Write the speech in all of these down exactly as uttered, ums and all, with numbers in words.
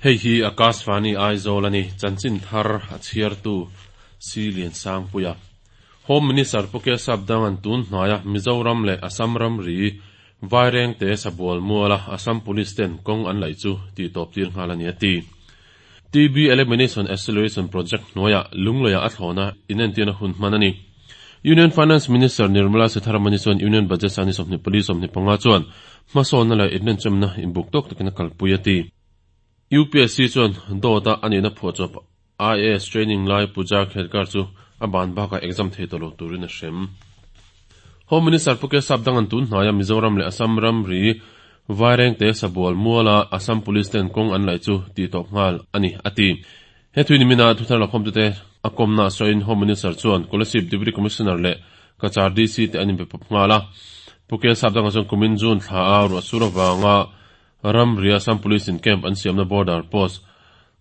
Hei hi Akashvani Aizawl a ni, chanchin thar a chhiartu Si Liansangpuia. Home Minister Pu Kesap Dangan tun hnaia Mizoram leh Assam ramri Vairengte Sabual muala Assam Police ten kawng an laih chu tihtawp tir nghal a ni a ti. T B Elimination Acceleration Project hnuaiah Lungleiah a thlawna inentirna hun hman a ni. Union Finance Minister Nirmala Sitharaman chuan Union Budget sangni sawmhnih pali sawmhnih panga chuan hmasawnna leh inrenchawmna inbuk tawk takin a kalpui a ti. U P S C chuan dawta a nihna phuahchawp I A S training lai Puja Khedkar chu a ban bakah exam thei tawh lo turin a hrem. Home Minister Pu Kesap Dangan tun hnaia Mizoram leh Assam ramri Vairengte Sabual muala Assam Police ten kawng an laih chu tihtawp nghal a ni a ti. He thui nimina thuthar lakhawmtute a kawmna sawiin Home Minister chuan Kolasib Deputy Commissioner leh Cachar D C te an inbe pawp nghal a. Pu Kesap Danga chuan kumin June thla a ruahsur avanga ramri Assam Police in camp an siamna border post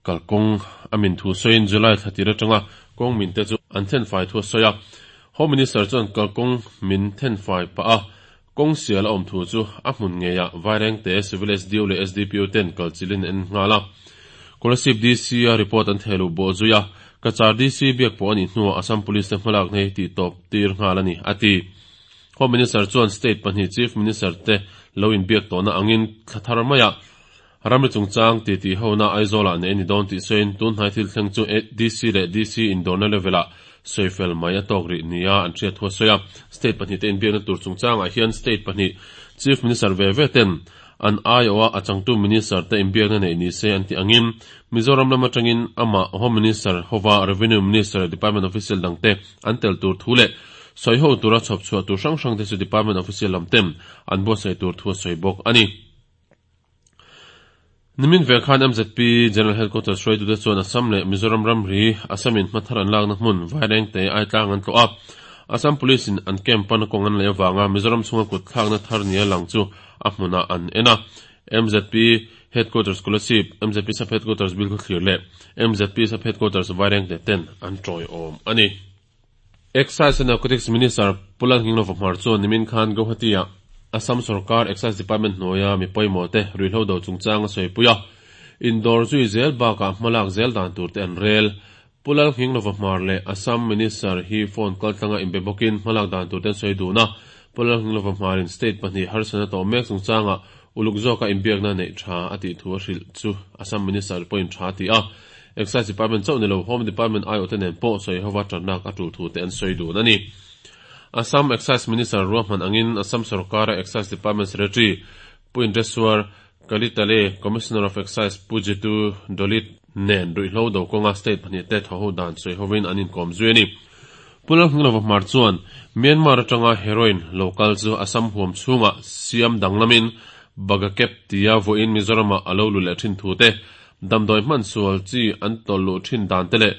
kalkawng a min thu sawiin July thla tir atanga kawng min te chu an thenfai thu a sawi a. Home Minister chuan kalkawng min thenfai pah a kawng sial a awm thu chu a hmun ngeiah Vairengte Civil S D O leh S D P O ten kalchilin en nghal a. Kolasib D C a report an thehluh bawh zui a. Cachar D C biak pawh a nih hnuah Assam Police te hmalak nei tihtawp tir nghal a ni a ti. Home Minister chuan state pahnih Chief Minister te lo inbiak tawhna angin thla thar maiah ramri chungchang ti ti hona Aizawlah nei ni dawn tih sawiin tun hnai thil thleng chu D C leh D C indawrna level-ah soifel mai a tawk rih nia an hriat thu a sawi a. State pahnih te inbiakna tur chungchangah hian state pahnih Chief Minister ve ve ten an aiawh a changtu Minister te inbiakna nei ni se an ti angin Mizoram lam atangin amah Home Minister hova Revenue Minister, Department official dangte an tel tur thu leh sawi ho tura chhawp chhuah tur hrang hrang te chu Department official lam ten an buatsaih tur thu a sawi bawk a ni. Nimin vel khan M Z P General Headquarters hruaitute chuan Assam leh Mizoram ramri Assamin hmathar an lakna hmun Vairengte Aitlang an tlawh a. Assam Police in an camp pan kawng an lei awanga Mizoram chhunga kut thlakna thar nia lang chu a hmunah an en a. M Z P Headquarters Kolasib, M Z P Sub Headquarters Bilkhawthlir leh M Z P Sub Headquarters Vairengte ten an tawiawm a ni. Excise and Narcotics Minister Pu Lalnghinglova Hmar chuan nimin khan Guwahati-ah Assam Sarkar Excise Department hnuaia mi pawimawh te ruihhlo do chungchang a sawi pui a. Indawr zui zel bakah hmalak zel dan tur te an rel. Pu Lalnghinglova Hmar leh Assam Minister hi phone kaltlanga inbe bawkin hmalak dan tur te an sawi dun a. Pu Lalnghinglova Hmarin state pahnih harsatna tawh mek chungchanga uluk zawka inbiakna neih tha a tih thu a hrilh chu Assam Minister pawhin tha a ti a. Excise Department chauh ni lo Home Department aiawh te nen pawh sawi hova tannak a tul thu te an sawi dun a ni. Assam Excise Minister ruahman angin Assam Sarkara Excise Department Secretary Pu Indreswar Kalita leh Commissioner of Excise Pu Jitu Doley nen ruihhlo do kawnga state pahnih te thaw ho dan sawi hovin an inkawm zui a ni. Pu Lalnghinglova Hmar chuan Myanmar atanga heroin local chu Assam huam chhunga siam danglamin Bagakep tia vawiin Mizoramah a lo lu leh thin thu te, damdawi hman sual chi an tawlh thin dan te leh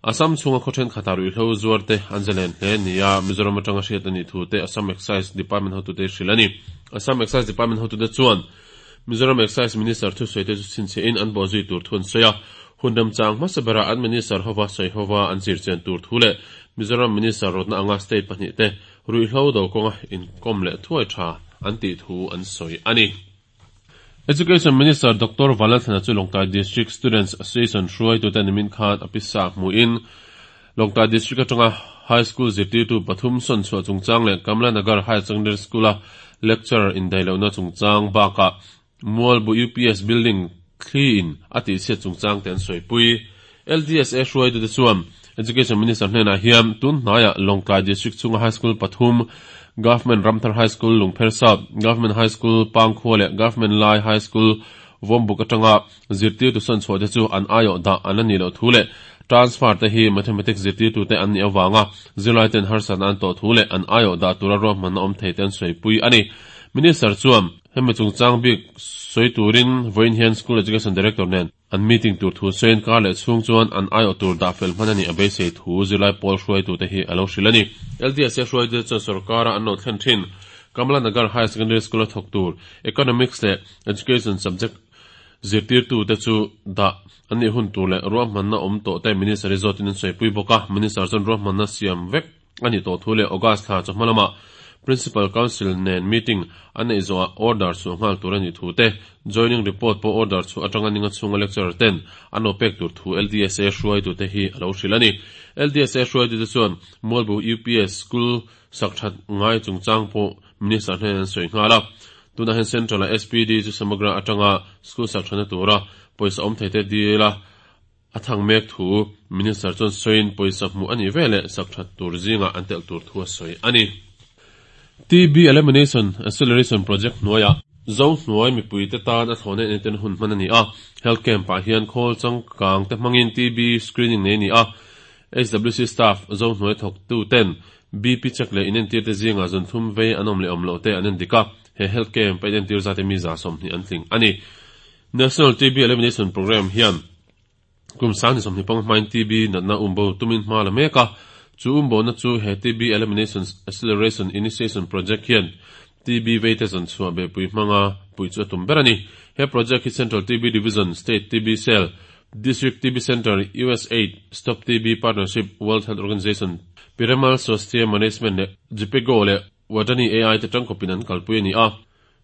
Assam chhunga khaw thenkhatah ruihhlo zuar te an zalen hle nia Mizoram atanga hriat a nih thu te Assam Excise Department hotute hrilh a ni. Assam Excise Department hotute chuan Mizoram Excise Minister thu sawi te chu chhinchhiahin an bawh zui tur thu an sawi a. Hun remchang hmasa berah an Minister hova sawi hova an zirchian tur thu leh Mizoram Minister rawtna anga state pahnih te ruihhlo do kawnga inkawm leh thuai tha an tih thu an sawi a ni. Education Minister Doctor Vanlalthlana chu Lawngtlai District Students Association hruaitute nimin khan a pisa hmuin Lawngtlai District atanga High School zirtirtu pathum sawn chhuah chungchang leh Kamla Nagar Higher Secondary School a lecturer indaihlohna chungchang bakah Mualbu U P S building thli in a tihchhiat chungchang te an sawipui. L D S A hruaitute chuan Education Minister hnenah hian tun hnaiah Lawngtlai District chhunga High School pathum, Government Ramthar High School Lungpher South, Government High School Pangkhua leh Government Lai High School Vawmbuk atanga zirtirtu sawn chhuah te chu an aiawh dah an la nih loh thu leh transfer te hi mathematics zirtirtu te an nih awanga zirlai ten harsatna an tawh thu leh an aiawh dah tura ruahmanna awm thei te an sawipui a ni. Minister chuan hemi chungchang bik sawi turin vawiin hian School Education Director nen an meeting tur thu sawiin kar leh chhung chuan an aiawh tur dah fel hman a nih a beisei thu zirlai pawl hruaitu te hi a lo hrilh a ni. L D S A hruaitute chuan sarkara an lo thlen thin Kamla Nagar Higher Secondary School a thawk tur Economics leh Education subject zirtirtu te chu dah an nih hun tur leh ruahmanna awm tawh te Minister hi zawtin an sawipui bawk a. Minister chuan ruahmanna siam vek a nih tawh thu leh August thla chawhma lamah Principal Council nen meeting an neih zawhah order chhuah nghal tur a nih thu te, joining report pawh order chhuah atanga ninga chhunga lecturer ten an lo pek tur thu LDSA hruaitute hi a lo hrilh a ni. LDSA hruaitute chuan Mualbu UPS School sak that ngai chungchang pawh Minister hnen an sawi nghal a. Tunah hian Central-a SPD chu Samagra atanga school sak thana tura pawisa awm thei te dil a a thang mek thu Minister chuan sawiin pawisa hmuh a nih veleh sak that tur zingah an telh tur thu a sawi a ni. TB Elimination Acceleration Project hnuaiah Zohnuai mipuite tan a thlawhna entir hun hman a ni a. Health Camp-ah hian khawl changkang te hmangin TB screening nei a ni a. HWC staff Zohnuai thawktu ten BP check leh inentir te zingah zunthum vei an awm leh awm loh te an endik a. He Health Camp a inentir zate mi za sawmhnih an tling a ni. National TB Elimination Programme hian kum sang ni sawmhnih panga hmain TB natna umbo tumin hma la mek a. Chu umbona chu he TB Elimination Acceleration Initiation Project hian TB veite zawn chhuah behpui hmanga puih chu a tum ber a ni. He project hi Central TB Division, State TB Cell, District TB Centre, USAID, Stop TB Partnership, World Health Organization, Piramal Swasthya Management leh Jhpiego leh Wadani AI te tangkawpin an kalpui a ni a.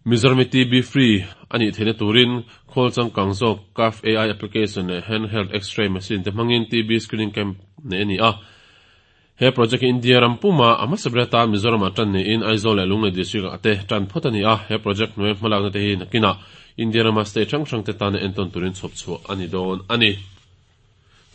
Mizoram hi TB free a nih theihna turin khawl changkang zawk CAF AI application leh handheld X-ray machine te hmangin TB screening camp neih a ni a. He project hi India ram puma a hmasa ber atan Mizoramah tan niin Aizawl leh Lunglei district ah te tan phawt a ni a. He project hnuai hmalakna te hi nakinah India rama state hrang hrang te tana entawn turin chhawp chhuah a ni dawn a ni.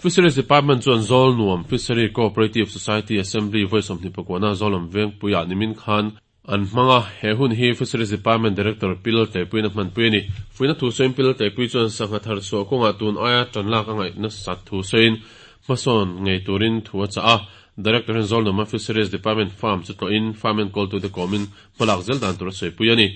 Fisheries Department chuan Zawlnuam Fishery Cooperative Society Assembly vawi sawmhnih pakuana Zawlawm Vengpuiah nimin khan an hmang a. He hun hi Fisheries Department Director Pi Laltleipuiin a hmanpui a ni. Fuihna thu sawiin Pi Laltleipui chuan sangha thar chhuah kawngah tun aia tan lak a ngaih nasat thu sawiin hmasawn ngei turin thu a chah a. Director hian Zawlnuama Fisheries Department Farm chu tlawhin farm enkawltute kawmin hmalak zel dan tur a sawipui a ni.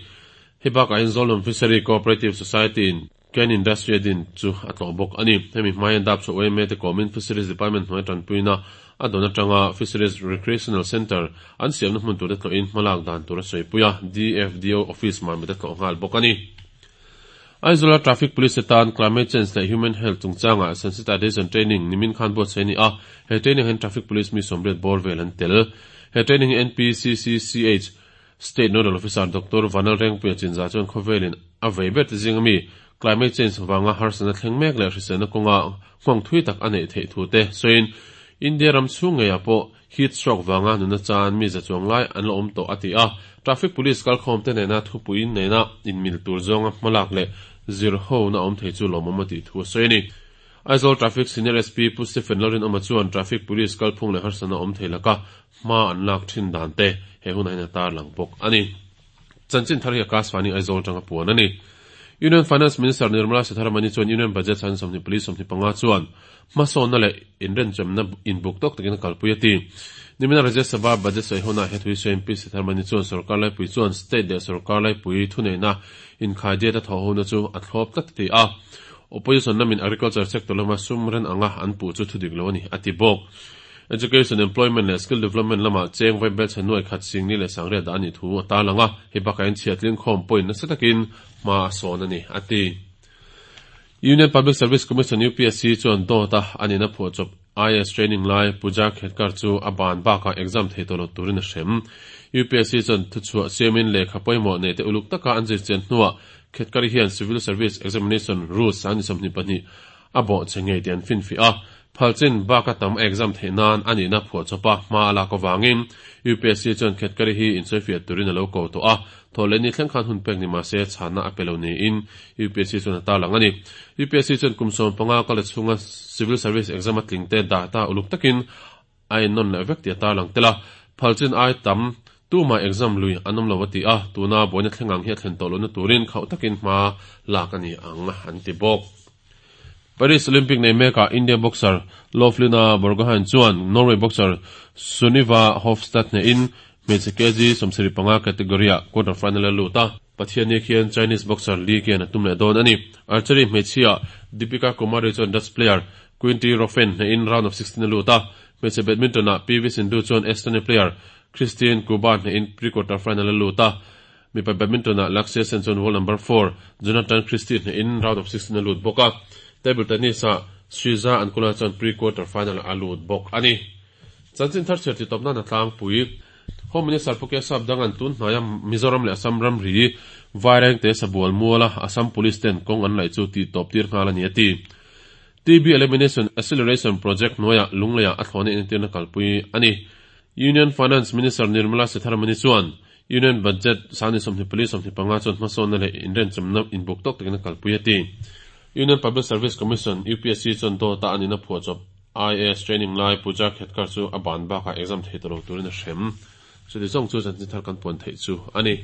Hei bakah hian Zawlnuam Fishery Cooperative Society-in Cane Industry a din chu a tlawh bawk a ni. Hemi hmaiin dap chhuah uaime te kawmin Fisheries Department hnuai tanpuina a dawn atanga Fisheries Recreational Centre an siamna hmun turte tlawhin hmalak dan tur a sawipui a, DFDO Office mamit a tlawh nghal bawk a ni. Aizawla Traffic Police tan Climate Change leh Human Health chungchangah Sensitization Training nimin khan buatsaih a ni a, he training ah hian Traffic Police mi sawmriat bawr vel an tel. He training hi NPCCCH State Nodal Officer Doctor Vanal Rengpuia Chinza chuan khawvelin a vei ber te zing ami climate change vanga harsatna thleng mek leh hriselna kawnga nghawng thui tak a neih theih thu te sawiin India ram chhung ngeiah pawh heat stroke vanga nuna chan mi za chuang lai an la awm tawh a ti a. Traffic Police kalkhawm te nena thupuiin nena inmil tur zawnga hmalak leh zir hona awm thei chu lawmawm a tih thu a sawi a ni. Aizawl Traffic Senior SP Pu Stephen Lalrinawma chuan Traffic Police kalphung leh harsatna awm thei laka hma an lak thin dan te he hunah hian a tarlang bawk a ni. Chanchin thar hi Akashvani Aizawl atanga puan a ni. Union Finance Minister Nirmala Sitharaman chuan Union Budget san sawmhnih pali sawmhnih panga chuan hmasawnna leh inrenchawmna inbuk tawk takin a kalpui a ti. Nimina Rajya Sabha Budget sawi hunah he thuisawiin Pi Sitharaman chuan sorkar laipui chuan state leh sorkar laipui thuneihna inkhaidiat a thawh hona chu a thlawp tlat a ti a. Opposition lamin agriculture sector lama sum ren anga an puh chu thudik lo a ni, a ti bawk. Education, Employment leh Skill Development lama cheng vai bel chhe nuai khat singni leh sangriat dah a nih thu a tarlang a, hei bakah hian chhiatling khawm pawhin nasa takin hma a sawn a ni, a ti. Union Public Service Commission, UPSC, chuan dawt a a nihna phuahchawp IAS training lai Pooja Khedkar chu a ban bakah exam thei tawh lo turin a hrem. UPSC chuan thuchhuah siamin lehkha pawimawh neih te uluk taka an zirchian hnuah Khedkar hian Civil Service Examination Rules sang ni sawmhnih pahnih a bawh che ngei tih an finfiah a. Phalchin baka tam a exam theih nan a nihna phuahchawp a hma a lak avangin UPSC chuan Khedkar hi insawifiah turin a lo ko tawh a. Thawhlehni thleng khan hun pek ni mah se chhanna a pe lo niin UPSC chuan a tarlang a ni. UPSC chuan kum sawm panga kal chhunga Civil Service Exam a tling te data uluk takin a ennawn leh vek tih a tarlang tel a. Phalchin ai tam tumah exam lui an awm lo a ti a, tuna buaina thleng ang hi a thlen tawh lohna turin khauh takin hma lak a ni ang an ti bawk. Paris Olympic nei mekah India boxer Lovlina Borgohain chuan Norway boxer Sunniva Hofstad hnehin hmeichhe kg sawmsarih panga category-ah quarter final a lut a. Pathianni khian Chinese boxer Li Qian a tum leh dawn a ni. Archery hmeichhia Deepika Kumari chuan Dutch player Quinty Roffen hnehin round of sixteen a lut a. Hmeichhe badminton-ah PV Sindhu chuan Estonia player Kristin Kuba hnehin pre-quarter final a lut a. Mipa badminton-ah Lakshya Sen chuan world number four Jonatan Christie hnehin round of sixteen a lut bawk a. Table tennis-ah Sriza Ankula chuan pre-quarter final a lut bawk a ni. Chanchin thar chhiar titawp nan a tlangpui. Home Minister Pu K Sapdanga'n tun hnaia Mizoram leh Assam ramri Vairengte Sabual muala Assam Police ten kawng an laih chu tihtawp tir nghal a ni a ti. T B Elimination Acceleration Project hnuaiah Lungleiah a thlawhna inentirna kalpui a ni. Union Finance Minister Nirmala Sitharaman chuan Union Budget sangni sawmhnih pali sawmhnih panga chuan hmasawnna leh inrenchemna inbuk tawk takin a kalpui a ti. Union Public Service Commission, U P S C, chuan dawta a nihna phuahchawp I A S training lai Puja Khedkar chu a ban bakah exam thei tawh lo turin a hrem. Chuti zawng chu chanchin thar kan puan theih chu a ni.